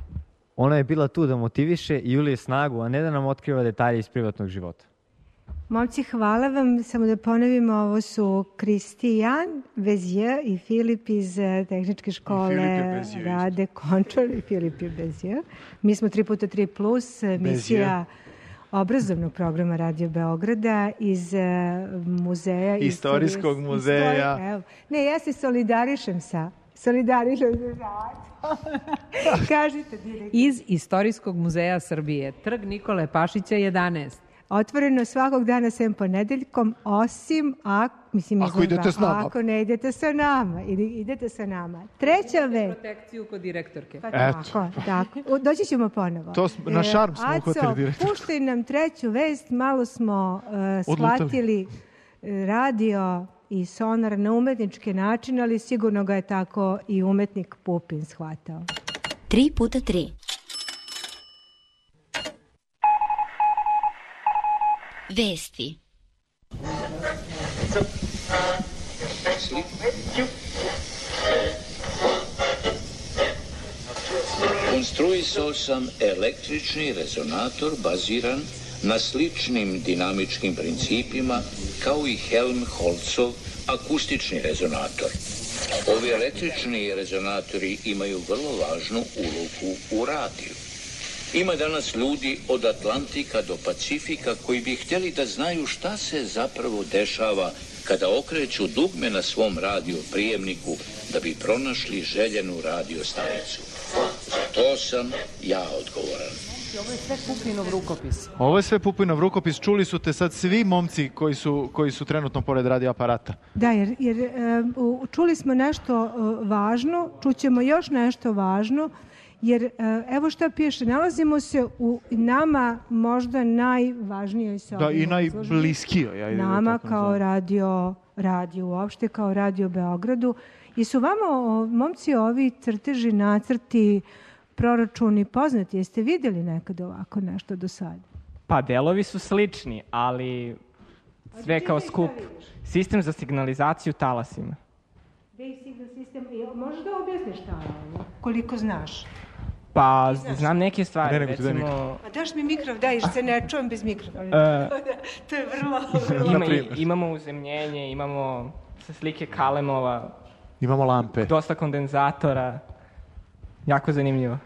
Ona je bila tu da motiviše i ulije snagu, a ne da nam otkriva detalje iz privatnog života. Momci, hvala vam. Samo da ponovimo, ovo su Kristijan Bezije i Filip iz tehničke škole Rade Končar i Filip je Bezije. Mi smo tri puta tri plus, emisija obrazovnog programa Radio Beograda iz muzeja. Istorijskog istorij... muzeja. Istorij... Ne, ja se solidarišem sa... Solidarišem sa... Kažite, direktor. Iz Istorijskog muzeja Srbije, Trg Nikole Pašića jedanaest. Otvoreno svakog dana sem ponedeljkom, osim ako, mislim, ako, idete s nama. ako ne idete sa nama. Ili idete sa nama. Treća već. Protekciju kod direktorke. Pa tako, tako. Doći ćemo ponovo. To smo, na šarm smo uhvatili direktorke. Aco, puštaj nam treću vest. Malo smo uh, shvatili radio i sonar na umetnički način, ali sigurno ga je tako i umetnik Pupin shvatao. Tri puta tri. Vesti. Konstruisao sam električni rezonator baziran na sličnim dinamičkim principima kao i Helmholtzov akustični rezonator. Ovi električni rezonatori imaju vrlo važnu ulogu u radiju. Ima danas ljudi od Atlantika do Pacifika koji bi htjeli da znaju šta se zapravo dešava kada okreću dugme na svom radio prijemniku da bi pronašli željenu radio stanicu. Za to sam ja odgovoran. Ovo je sve Pupinov rukopis. Ovo je sve Pupinov rukopis. Čuli su te sad svi momci koji su, koji su trenutno pored radio aparata. Da, jer, jer um, čuli smo nešto uh, važno, čućemo još nešto važno, jer evo šta piše, nalazimo se u nama možda najvažnijoj se da, i najbliskijoj. Ja nama kao radio, radio uopšte, kao Radio Beogradu. I su vama, o, momci, ovi crteži, nacrti, proračuni poznati? Jeste vidjeli nekad ovako nešto do sada? Pa delovi su slični, ali sve kao skup. Sistem za signalizaciju talasima. Basic sistem. Možeš da objasniš šta je ovo? Koliko znaš? Pa, znam neke stvari, ne, recimo... Pa daš mi mikrov, daj, se ne čujem bez mikrova. Uh, to je vrlo... vrlo. Ima, imamo uzemljenje, imamo sa slike kalemova. Imamo lampe. Dosta kondenzatora. Jako zanimljivo.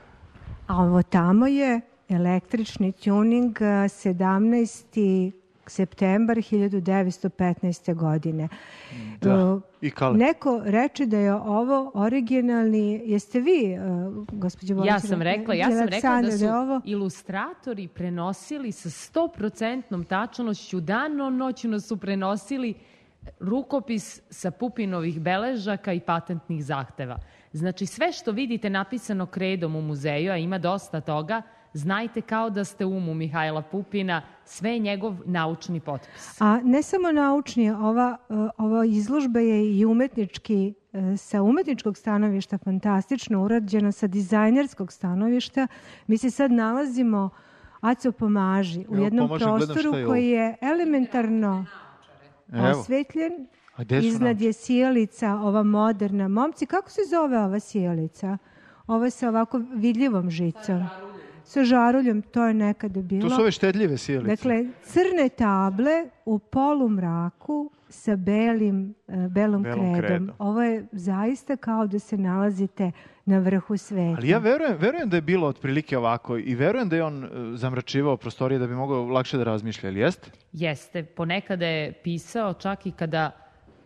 A ovo tamo je električni tuning sedamnaesti septembar hiljadu devetsto petnaeste. godine. Da, i kale. Neko reče da je ovo originalni, jeste vi, uh, gospođo Bović? Ja sam rekla, ja sam rekla da su da ovo... ilustratori prenosili sa sto procentnom tačnošću, danonoćno su prenosili rukopis sa Pupinovih beležaka i patentnih zahteva. Znači, sve što vidite napisano kredom u muzeju, a ima dosta toga, znajte kao da ste u umu Mihajla Pupina, sve je njegov naučni potpis. A ne samo naučni, ova, ova izložba je i umetnički, sa umetničkog stanovišta fantastično urađena, sa dizajnerskog stanovišta. Mi se sad nalazimo, Aco pomaži, u jednom Evo, prostoru koji je elementarno osvetljen. Iznad je sjelica, ova moderna. Momci, kako se zove ova sjelica? Ovo je sa ovako vidljivom žicom. Sa žaruljom, to je nekada bilo. To su ove štedljive sjelice. Dakle, crne table u polumraku sa belim, uh, belom, belom kredom. kredom. Ovo je zaista kao da se nalazite na vrhu sveta. Ali ja verujem, verujem da je bilo otprilike ovako i verujem da je on uh, zamračivao prostorije da bi mogao lakše da razmišlja, ali jeste? Jeste. Ponekada je pisao čak i kada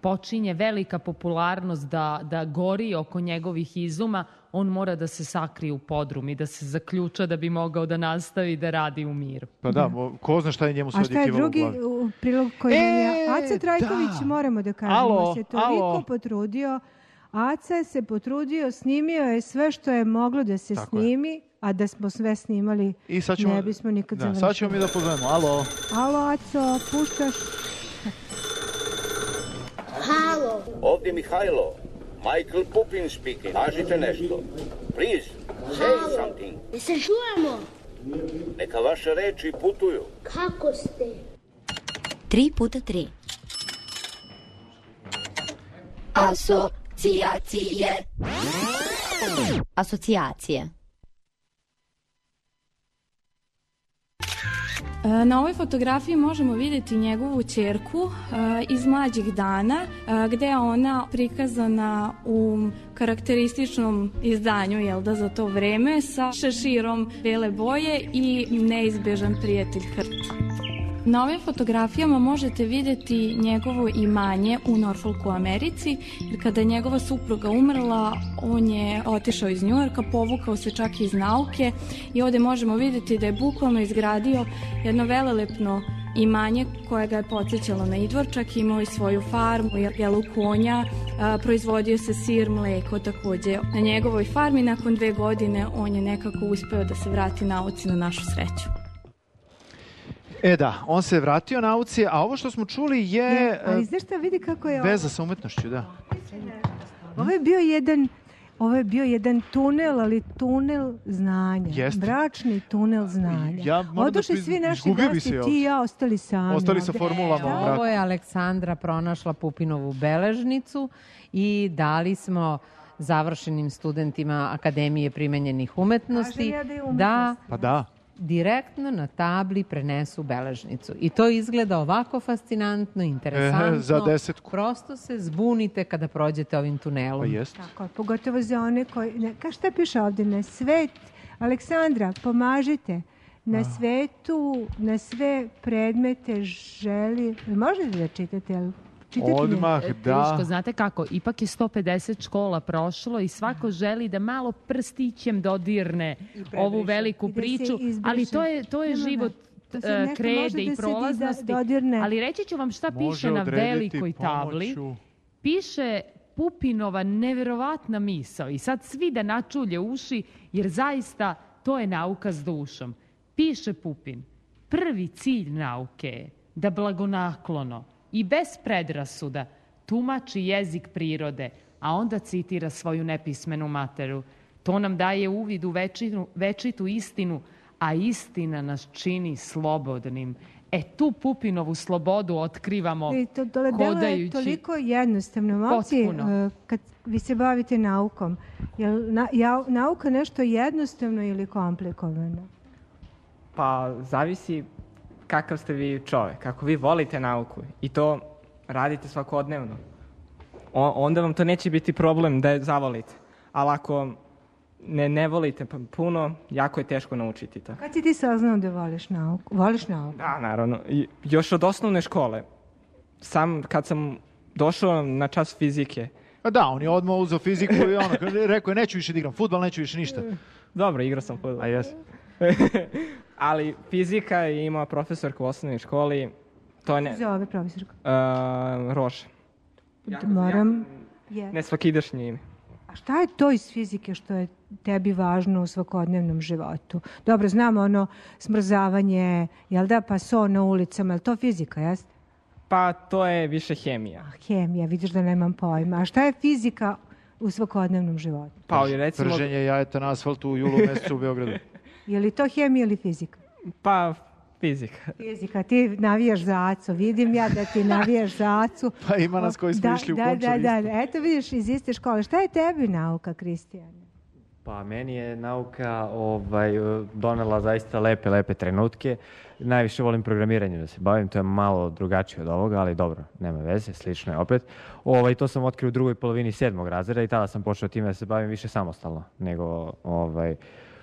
počinje velika popularnost da, da gori oko njegovih izuma, on mora da se sakrije u podrum i da se zaključa da bi mogao da nastavi da radi u miru. Pa da, ko zna šta je njemu sve odjekivalo u glavi. A šta je drugi u prilog koji e, je... Aca Trajković, da. moramo da kažemo, alo, se toliko alo. potrudio. Aca se potrudio, snimio je sve što je moglo da se Tako snimi, je. a da smo sve snimali, I sad ćemo, ne bismo nikad da, završili. Sad ćemo mi da pozovemo. Alo. Alo, Aco, puštaš... Ovdje Mihajlo. Michael Pupin speaking. Kažite nešto. Please, say something. Ne se čujemo. Neka vaše reči putuju. Kako ste? Tri puta tri. Asocijacije. Asocijacije. Na ovoj fotografiji možemo vidjeti njegovu ćerku iz mlađih dana, gde je ona prikazana u karakterističnom izdanju, jel da, za to vreme, sa šeširom bele boje i neizbežan prijatelj Hrt. Na ovim fotografijama možete vidjeti njegovo imanje u Norfolku u Americi, jer kada je njegova supruga umrla, on je otišao iz Njujorka, povukao se čak iz nauke i ovdje možemo vidjeti da je bukvalno izgradio jedno velelepno imanje koje ga je podsjećalo na Idvorčak, imao i svoju farmu, jelu konja, a, proizvodio se sir, mleko također na njegovoj farmi. Nakon dve godine on je nekako uspeo da se vrati nauci, na našu sreću. E da, on se vratio nauci, a ovo što smo čuli je... je ali znaš šta, vidi kako je ovo? Veza sa umetnošću, da. Ovo je bio jedan... Ovo je bio jedan tunel, ali tunel znanja. Jeste. Bračni tunel znanja. Ja Odošli da svi naši gosti, ti i ja ostali sami. Ostali sa formulama. E, ovo je Aleksandra pronašla Pupinovu beležnicu i dali smo završenim studentima Akademije primenjenih umetnosti ja da, je da, pa da direktno na tabli prenesu beležnicu. I to izgleda ovako fascinantno, interesantno. E, za desetku. Prosto se zbunite kada prođete ovim tunelom. Pa jest. Tako, pogotovo za one koji... Ne, ka šta piše ovdje? Na svet... Aleksandra, pomažite. Na svetu, na sve predmete želi... Možete da čitate, ali... Odmah, da. Teško, znate kako, ipak je sto pedeset škola prošlo i svako želi da malo prstićem dodirne ovu veliku priču, ali to je, to je život uh, krede i prolaznosti. Ali reći ću vam šta piše na velikoj tabli. Piše Pupinova neverovatna misao i sad svi da načulje uši, jer zaista to je nauka s dušom. Piše Pupin, prvi cilj nauke je da blagonaklono i bez predrasuda tumači jezik prirode, a onda citira svoju nepismenu materu. To nam daje uvid u večitu, večitu istinu, a istina nas čini slobodnim. E, tu Pupinovu slobodu otkrivamo I to, to hodajući. To je toliko jednostavno. Momci, kad vi se bavite naukom, je na, ja, nauka nešto jednostavno ili komplikovano? Pa, zavisi kakav ste vi čovjek, kako vi volite nauku i to radite svakodnevno. O, onda vam to neće biti problem da je zavolite. Ali ako ne, ne volite puno, jako je teško naučiti to. Kad si ti saznao da voliš nauku? Voliš nauku? Da, naravno. I još od osnovne škole. Sam kad sam došao na čas fizike. A da, on je odmah uzeo fiziku i ono, rekao je neću više da igram fudbal, neću više ništa. Dobro, igrao sam fudbal. A jes. Ali fizika je imao profesorka u osnovnoj školi. To ne... Zove profesorka? Uh, Roša. Moram... Ja, ne svakidašnje ime. A šta je to iz fizike što je tebi važno u svakodnevnom životu? Dobro, znamo ono smrzavanje, jel da, pa so na ulicama, je li to fizika, jeste? Pa to je više hemija. A, hemija, vidiš da nemam pojma. A šta je fizika u svakodnevnom životu? Pa, recimo... Prženje jajeta na asfaltu u julu mjesecu u Beogradu. Je li to hemija ili fizika? Pa, fizika. Fizika, ti navijaš za Acu. Vidim ja da ti navijaš za Acu. Pa ima nas koji smo da, išli u da, Končar da, da, eto vidiš iz iste škole. Šta je tebi nauka, Kristijane? Pa meni je nauka ovaj, donela zaista lepe, lepe trenutke. Najviše volim programiranje da se bavim, to je malo drugačije od ovoga, ali dobro, nema veze, slično je opet. Ovaj, to sam otkrio u drugoj polovini sedmog razreda i tada sam počeo time da se bavim više samostalno nego ovaj,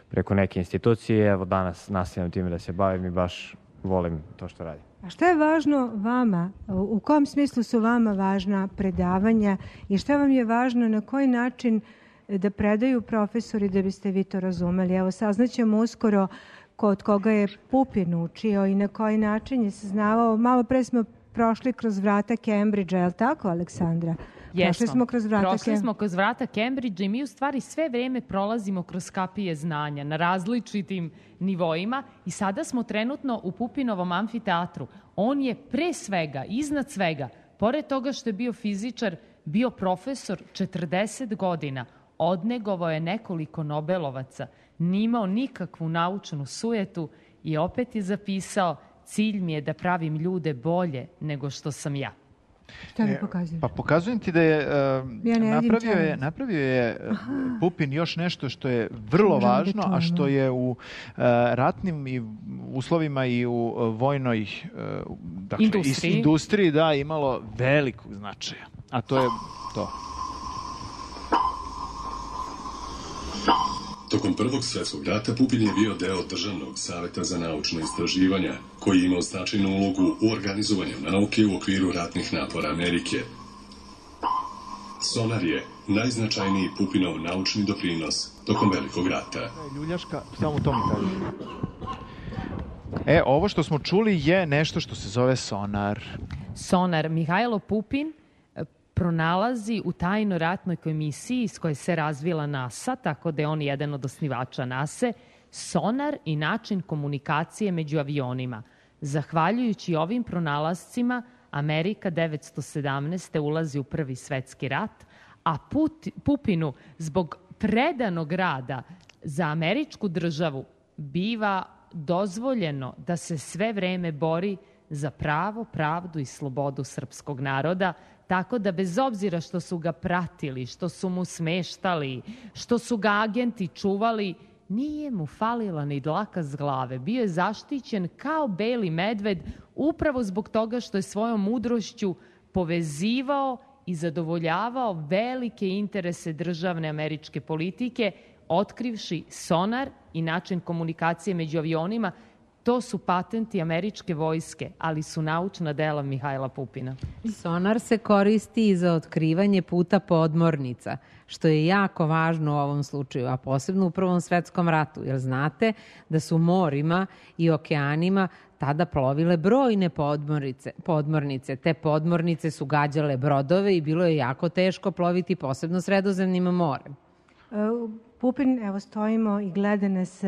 preko neke institucije. Evo danas nastavljam time da se bavim i baš volim to što radim. A šta je važno vama? U kom smislu su vama važna predavanja i šta vam je važno, na koji način da predaju profesori da biste vi to razumeli? Evo, saznaćemo uskoro kod koga je Pupin učio i na koji način je saznavao. Malo pre smo prošli kroz vrata Cambridgea, je li tako, Aleksandra? Jesmo. Prošli smo kroz vrata, Prošli smo kroz vrata Cambridgea i mi u stvari sve vreme prolazimo kroz kapije znanja na različitim nivoima i sada smo trenutno u Pupinovom amfiteatru. On je pre svega, iznad svega, pored toga što je bio fizičar, bio profesor četrdeset godina, odnegovao je nekoliko Nobelovaca, nimao nikakvu naučnu sujetu i opet je zapisao: cilj mi je da pravim ljude bolje nego što sam ja. Šta mi pokazuješ? Pa pokazujem ti da je, uh, Ja ne napravio vidim je, čemu. napravio je uh, Aha. Pupin još nešto što je vrlo Možemo da važno, a čujemo. što je u uh, ratnim i uslovima i u uh, vojnoj uh, dakle, Industriji. is- industriji da, imalo velikog značaja. A to je to. Tokom Prvog svjetskog rata Pupin je bio deo Državnog savjeta za naučna istraživanja, koji je imao značajnu ulogu u organizovanju nauke u okviru ratnih napora Amerike. Sonar je najznačajniji Pupinov naučni doprinos tokom Velikog rata. Ljuljaška, samo to mi kaže. E, ovo što smo čuli je nešto što se zove sonar. Sonar. Mihajlo Pupin e, pronalazi u tajnoj ratnoj komisiji iz koje se razvila NASA, tako da je on jedan od osnivača NASA, sonar i način komunikacije među avionima. Zahvaljujući ovim pronalascima, Amerika devetsto sedamnaeste. ulazi u Prvi svetski rat, a Put, Pupinu zbog predanog rada za američku državu biva dozvoljeno da se sve vreme bori za pravo, pravdu i slobodu srpskog naroda, tako da bez obzira što su ga pratili, što su mu smeštali, što su ga agenti čuvali, nije mu falila ni dlaka s glave. Bio je zaštićen kao beli medved upravo zbog toga što je svojom mudrošću povezivao i zadovoljavao velike interese državne američke politike, otkrivši sonar i način komunikacije među avionima. To su patenti američke vojske, ali su naučna dela Mihajla Pupina. Sonar se koristi i za otkrivanje puta podmornica, što je jako važno u ovom slučaju, a posebno u Prvom svetskom ratu, jer znate da su morima i okeanima tada plovile brojne podmornice. podmornice. Te podmornice su gađale brodove i bilo je jako teško ploviti posebno Sredozemnim morem. Pupin, evo stojimo i gleda nas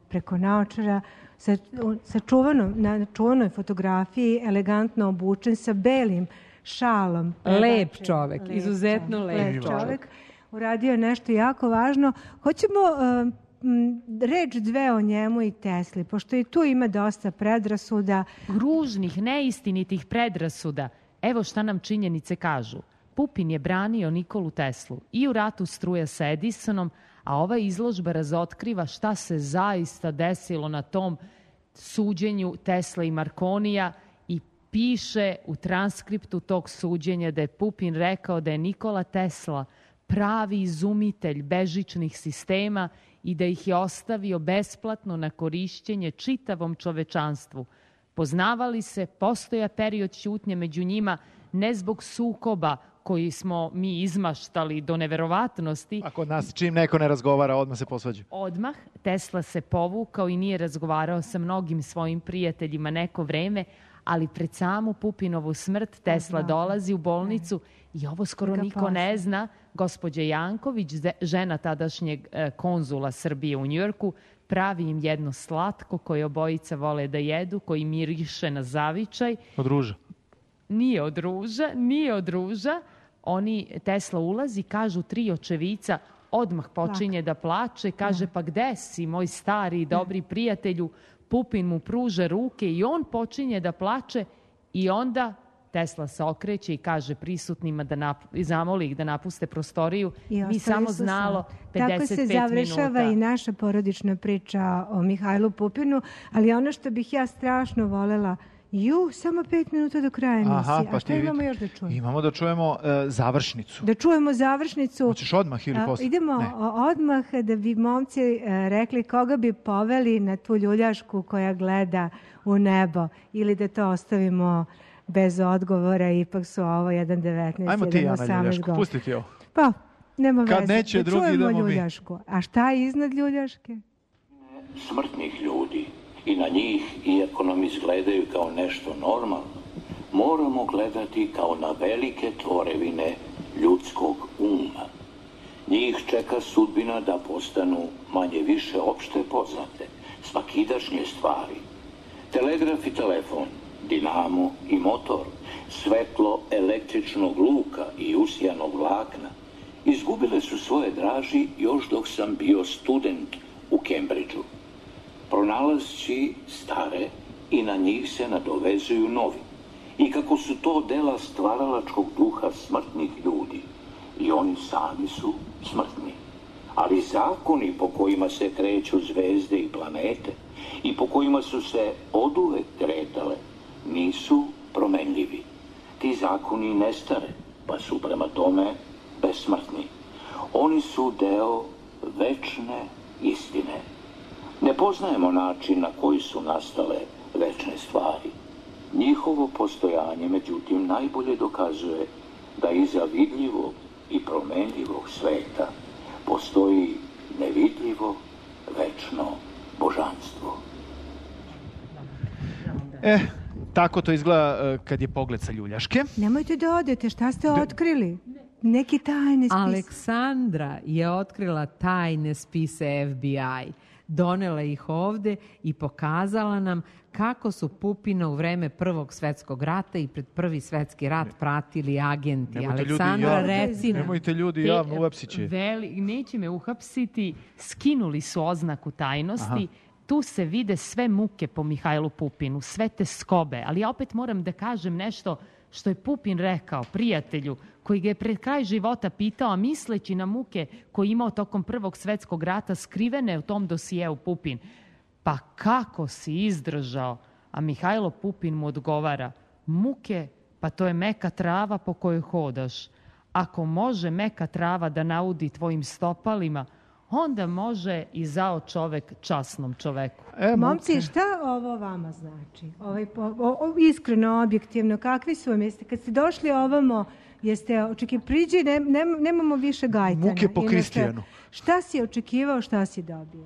preko naočara, sa, sa čuvanom, na čuvanoj fotografiji, elegantno obučen sa belim šalom. Lep čovek, lep izuzetno čovek, lep, lep čovek. čovek. Uradio je nešto jako važno. Hoćemo uh, m, reč dve o njemu i Tesli, pošto i tu ima dosta predrasuda. Ružnih, neistinitih predrasuda. Evo šta nam činjenice kažu. Pupin je branio Nikolu Teslu i u ratu struja sa Edisonom, a ova izložba razotkriva šta se zaista desilo na tom suđenju Tesla i Markonija i piše u transkriptu tog suđenja da je Pupin rekao da je Nikola Tesla pravi izumitelj bežičnih sistema i da ih je ostavio besplatno na korišćenje čitavom čovečanstvu. Poznavali se, postoja period ćutnje među njima, ne zbog sukoba koji smo mi izmaštali do neverovatnosti. A kod nas čim neko ne razgovara, odmah se posvađa. Odmah Tesla se povukao i nije razgovarao sa mnogim svojim prijateljima neko vreme, ali pred samu Pupinovu smrt Tesla dolazi u bolnicu i ovo skoro niko ne zna. Gospođa Janković, žena tadašnjeg konzula Srbije u Njujorku, pravi im jedno slatko koje obojica vole da jedu, koji miriše na zavičaj. Od ruža. Nije od ruža, nije od ruža. Oni, Tesla ulazi, kažu tri očevica, odmah počinje da plače, kaže pa gde si, moj stari i dobri prijatelju. Pupin mu pruže ruke i on počinje da plače i onda Tesla se okreće i kaže prisutnima da nap, zamoli ih da napuste prostoriju. Mi samo znalo pedeset pet minuta. Tako se završava i naša porodična priča o Mihajlu Pupinu, ali ono što bih ja strašno volela, ju, samo pet minuta do kraja emisije. Aha, pa a šta imamo još da čujemo? Imamo da čujemo uh, završnicu. Da čujemo završnicu. Hoćeš odmah ili posle? Idemo ne. odmah da bi momci uh, rekli koga bi poveli na tu ljuljašku koja gleda u nebo ili da to ostavimo bez odgovora, ipak su ovo jedan devetnaest, Ajmo ti, jedan Ana, osamnaest ljuljašku, pusti ti ovo. Pa, nema Kad veze. neće da drugi, čujemo idemo mi. ljuljašku. A šta je iznad ljuljaške? Smrtnih ljudi i na njih, iako nam izgledaju kao nešto normalno, moramo gledati kao na velike tvorevine ljudskog uma. Njih čeka sudbina da postanu manje više opšte poznate, svakidašnje stvari. Telegraf i telefon dinamo i motor, svetlo električnog luka i usijanog vlakna, izgubile su svoje draži još dok sam bio student u Cambridgeu. Pronalazci stare i na njih se nadovezuju novi. I kako su to dela stvaralačkog duha smrtnih ljudi, i oni sami su smrtni. Ali zakoni po kojima se kreću zvezde i planete i po kojima su se oduvek kretale nisu promenljivi. Ti zakoni ne stare, pa su prema tome besmrtni. Oni su deo večne istine. Ne poznajemo način na koji su nastale večne stvari. Njihovo postojanje, međutim, najbolje dokazuje da iza vidljivog i promenljivog sveta postoji nevidljivo, večno božanstvo. E, tako to izgleda kad je pogled sa ljuljaške. Nemojte da odete, šta ste otkrili? Neki tajne spise. Aleksandra je otkrila tajne spise F B I. Donela ih ovde i pokazala nam kako su Pupina u vreme Prvog svetskog rata i pred Prvi svetski rat pratili agenti. Nemojte Aleksandra, ljudi javno, reci nam. nemojte ljudi javno, uhapsit će. Veli, neće me uhapsiti, skinuli su oznaku tajnosti. Aha. Tu se vide sve muke po Mihajlu Pupinu, sve te skobe. Ali ja opet moram da kažem nešto što je Pupin rekao prijatelju koji ga je pred kraj života pitao, a misleći na muke koje imao tokom Prvog svetskog rata skrivene u tom dosijeu Pupin. Pa kako si izdržao? A Mihajlo Pupin mu odgovara, muke, pa to je meka trava po kojoj hodaš. Ako može meka trava da naudi tvojim stopalima, onda može i zao čovek časnom čoveku. E, Momci, šta ovo vama znači? Ovaj, o, o, iskreno, objektivno, kakvi su vam? Jeste, kad ste došli ovamo, jeste očekivali, priđi, ne, ne, nemamo više Gajtana. Muke po Kristijanu. Šta si očekivao, šta si dobio?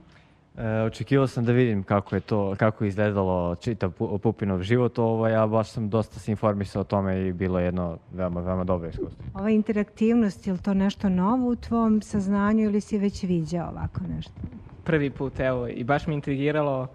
E, očekivao sam da vidim kako je to, kako je izgledalo čitav Pupinov život, ovo, ja baš sam dosta se informisao o tome i bilo je jedno veoma, veoma dobro iskustvo. Ova interaktivnost, je li to nešto novo u tvom saznanju ili si već viđao ovako nešto? Prvi put, evo, i baš mi intrigiralo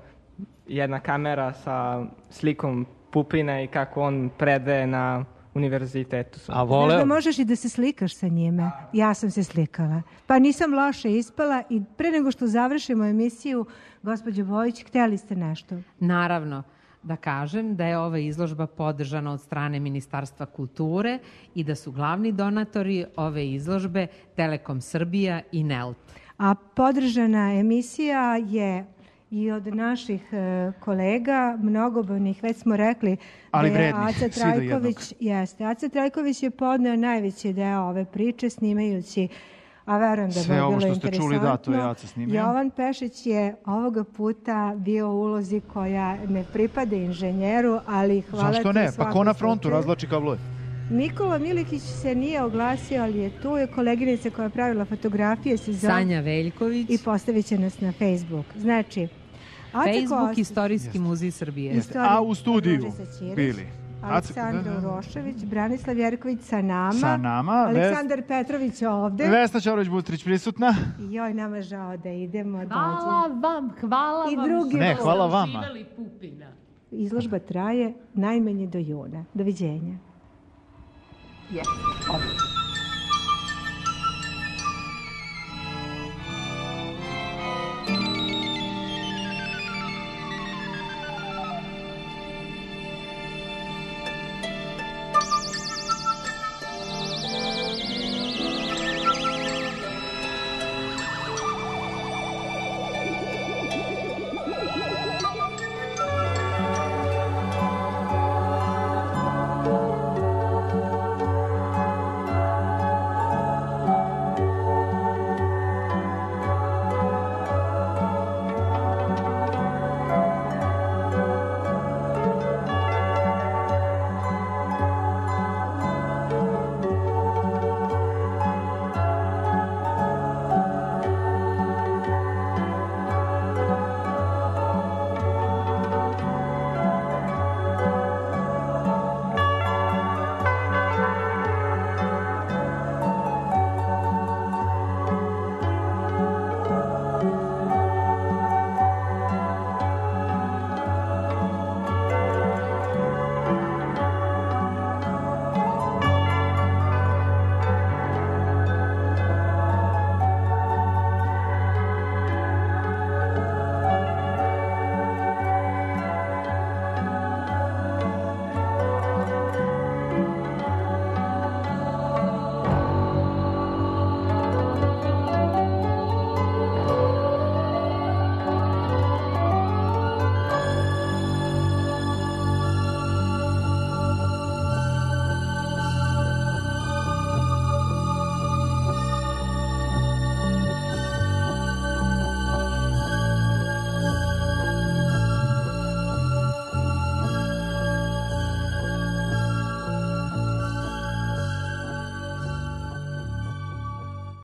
jedna kamera sa slikom Pupina i kako on predaje na univerzitetu. A vole... Znaš da možeš i da se slikaš sa njime? Ja sam se slikala. Pa nisam loše ispala i pre nego što završimo emisiju, gospođo Bojić, htjeli ste nešto? Naravno. Da kažem da je ova izložba podržana od strane Ministarstva kulture i da su glavni donatori ove izložbe Telekom Srbija i Nelt. A podržana emisija je i od naših e, kolega, mnogobrojnih, već smo rekli ali da je vrednih, Aca Trajković, jeste, Aca Trajković je podneo najveći deo ove priče snimajući, a verujem da bi bilo interesantno. Sve ovo što ste čuli, da, to je Aca snimio. Jovan Pešić je ovoga puta bio u ulozi koja ne pripada inženjeru, ali hvala ti. Zašto ne? Pa ko na frontu razvlači kablove? Nikola Milikić se nije oglasio, ali je tu. Je koleginica koja je pravila fotografije. Se zove Sanja Veljković. I postavit će nas na Facebook. Znači, Facebook Kost... Istorijski muzej Srbije. Jeste. A u studiju bili Aleksandra Urošević, Branislav Jerković sa nama. Sa nama. Aleksandar Ves... Petrović ovde. Vesna Ćorović-Butrić prisutna. I joj, nama žao da idemo. Hvala dođe. vam, hvala I vam. drugi ne, hvala vama. Izložba traje najmanje do juna. Doviđenja. Yes.